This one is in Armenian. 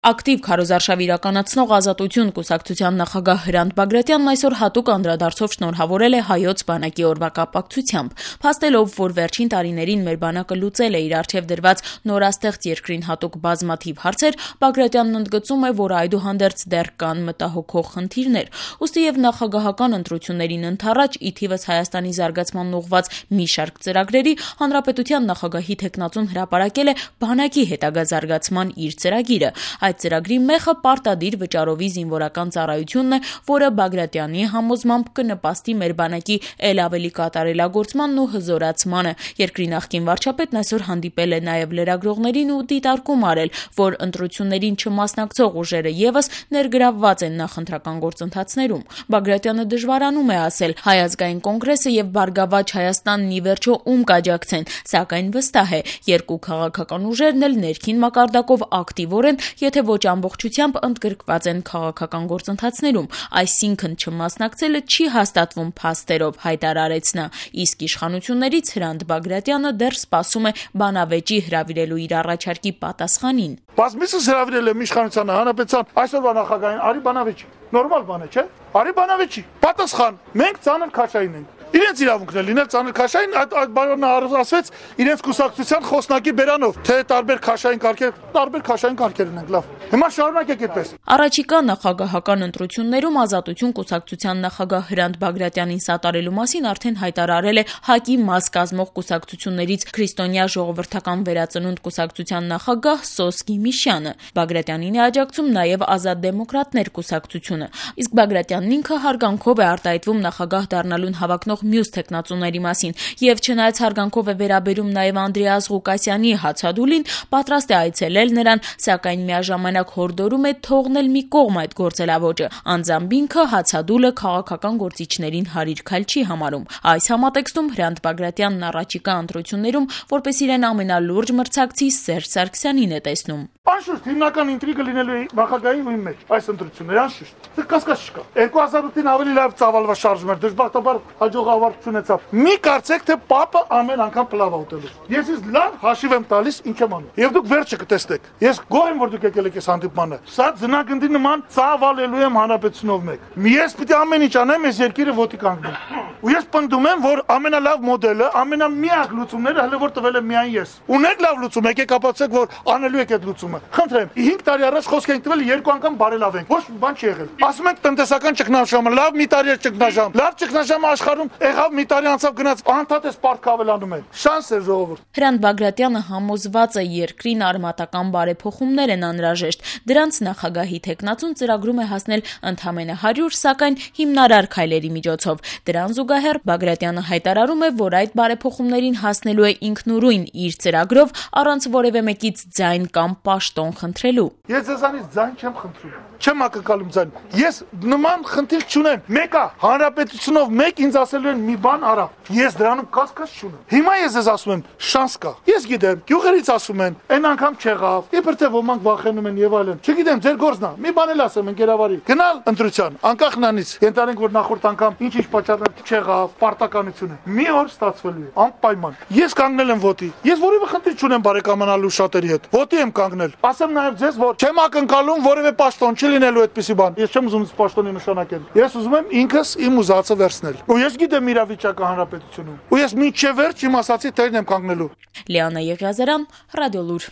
Ակտիվ քարոզարշավ իրականացնող Ազատություն կուսակցության նախագահ Հրանտ Բագրատյանն այսօր հատուկ անդրադարձով շնորհավորել է Հայոց բանակի օրվա կապակցությամբ, փաստելով, որ վերջին տարիներին մեր բանակը լուծել է իր առջև դրված նորաստեղծ երկրին հատուկ բազմաթիվ հարցեր, Բագրատյանն ընդգծում է, որ այդուհանդերձ դեռ կան մտահոգող խնդիրներ, ուստի եւ նախագահական ընտրություններին ընդառաջ ի թիվս Հայաստանի զարգացմանն ուղղված մի շարք ծրագրերի հանրապետության նախագահի թեկնածուն հրապարակել է բանակի հետագա զարգացման իր ծրագիրը։ Այդ ծրագրի մեխը պարտադիր վճարովի զինվորական ծառայությունն է, որը Բագրատյանի համոզմամբ կնպաստի մեր բանակի ել ավելի կատարելագործմանն ու հզորացմանը։ Երկրի նախկին վարչապետն այսօր հանդիպել է նաև լրագրողներին ու դիտարկում արել, որ ընտրություններին չմասնակցող ուժերը եւս ներգրավված են նախընտրական գործընթացներում։ Բագրատյանը դժվարանում է ասել Հայ ազգային կոնգրեսը եւ Բարգավաճ Հայաստանն ի վերջո ում կաջակցեն, սակայն վստահ է, երկու քաղաքական ուժերն էլ ներքին մակարդակով ակտիվորեն, եթե ոչ ամբողջությամբ ընդգրկված են քաղաքական գործընթացներում, այսինքն չմասնակցելը չի հաստատվում փաստերով, հայտարարեց նա, իսկ իշխանություններից Հրանտ Բագրատյանը դեռ սպասում է բանավեճի հրավիրելու իր առաջարկի պատասխանին։ Բազմիցս հրավիրել եմ իշխանությանը, հանրապետության այսօրվա նախագահին, արի բանավեճի, նորմալ բան է, չէ՞։ Արի բանավեճի, պատասխան, մենք ծանր քաշային ենք։ Իրենց իրավունքն է լինել ծանր քաշային, այդ բանն ասվեց իրենց կուսակցության խոսնակի բերանով, թե տարբեր քաշային կարգեր ունենք, լավ։ Հիմա շարունակեք այդպես։ Առաջիկա նախագահական ընտրություններում Ազատություն կուսակցության նախագահ Հրանտ Բագրատյանին սատարելու մասին արդեն հայտարարել է ՀԱԿ-ի մաս կազմող կուսակցություններից Քրիստոնյա ժողովրդական վերածնունդ կուսակցության նախագահ Սոս Գիմիշյանը։ Բագրատյանին է աջակցում նաև Ազատ դեմոկրատներ կուսակցությունը, իսկ Բագրատյանն ինքը հարգանքով է արտահայտվում նախագահ դառնալուն հավակնող մյուս թեկնածուների մասին եւ չնայած հարգանքով է վերաբերում նաեւ Անդրեաս Ղուկասյանի հացադուլին, պատրաստ է այցելել նրան, սակայն միաժամանակ հորդորում է թողնել մի կողմ այդ գործելավոճը։ Անձամբ ինքը հացադուլը քաղաքական գործիչներին հարիր քայլ չի համարում։ Այս համատեքստում Հրանտ Բագրատյանն առաջիկա ընտրություններում որպես իրեն ամենալուրջ մրցակցի Սերժ Սարգսյանին է տեսնում։ Անշուշտ հիմնական ինտրիգը լինելու է նախագահի ու իմ մեջ այս ընտրությունները, անշուշտ։ Դա կասկած չկա։ 2008-ին ավելի լավ ծավալվա շարժում էր, դժբախտաբար հաջողավարտ չունեցավ։ Մի կարծեք, թե պապը ամեն անգամ պլավ է ուտելու։ Ես ինձ լավ հաշիվ եմ տալիս ինչ եմ անում։ Եվ դուք վերջը կտեսնեք։ Ես գոհ եմ, որ դուք եկել եք այս հանդիպմանը։ Սա ձնագնդի նման ծավալելու եմ հանրապետությունով մեկ։ Ես պիտի ամեն ինչ անեմ այս երկիրը ոտի կանգնի։ Ու ես պնդում եմ, որ ամենալավ մոդելը, ամենամիակ լուծումները հələ որ տվել եմ միայն ես։ Ունեք լավ լուծում, եկեք ապացուցեք, որ անելու եք այդ լուծումը։ Խնդրեմ, 5 տարի առաջ խոսք ենք տվել, 2 անգամ բարելավենք։ Ոչ բան չի եղել։ Ասում ենք տնտեսական ճգնաժամը, լավ մի տարի է ճգնաժամ։ Լավ ճգնաժամը աշխարհում եղավ, մի տարի անցավ գնաց, անդադար սպարտք ավելանում են։ Շանս է ժողովուրդ։ Հրանտ Բագրատյանը համոզված է երկրին արմատական բարեփոխումներ են անհրաժեշտ։ Դրանց նախագահի թեկնածուն ծրագրում է հասնել ընդամենը 100, սակայն հիմնարար քայլերի միջոցով։ Դրան զուգահեռ Բագրատյանը հայտարարում է, որ այդ բարեփոխումներին հասնելու է ինքնուրույն իր ծրագրով, առանց որևէ մեկից ձայն կամ պաշտոն խնդրելու։ Ես ձեզանից ձայն չեմ խնդրում։ Չեմ ակնկալում ձայն։ Ես նման խնդիր չունեմ։ Մեկը հանրապետությունով մեկ ինձ ասելու են մի բան արա։ Ես դրանում կասկած չունեմ։ Հիմա ես ձեզ ասում եմ, շանս կա։ Ես գիտեմ, գյուղերից ասում են, այն անգամ չեղավ։ Իբր թե ոմանք վախենում են եւ այլն։ Չգիտեմ, ձեր գործն է։ Մի բան էլ ասեմ ընկերավարի։ Գնալ ընտրության, անկախ նրանից, ենթադրենք, որ նախորդ անգամ ինչ-ինչ պատճառներ չեղավ, պարտականություն է։ Մի օր ստացվելու է, անպայման։ Ես կանգնել եմ ոտի։ Ես որևէ խնդիր չունեմ բարեկամանալու շատերի հետ։ Ոտի եմ կանգնել։ Ասեմ նաեւ ձեզ, որ չեմ ակնկալում որևէ պաշտոն չի լինելու այդպիսի բան։ Ես չեմ ուզում պաշտոնի նշանակել։ Ես ուզում եմ ինքս իմ ուզածը վերցնել։ Ու ես գիտեմ իրավիճակը հանրապետությունում։ Ու ես մինչև վերջ իմ ասացի տերն եմ կանգնելու։ Լիանա Եղիազարյան, Ռադիոլուր։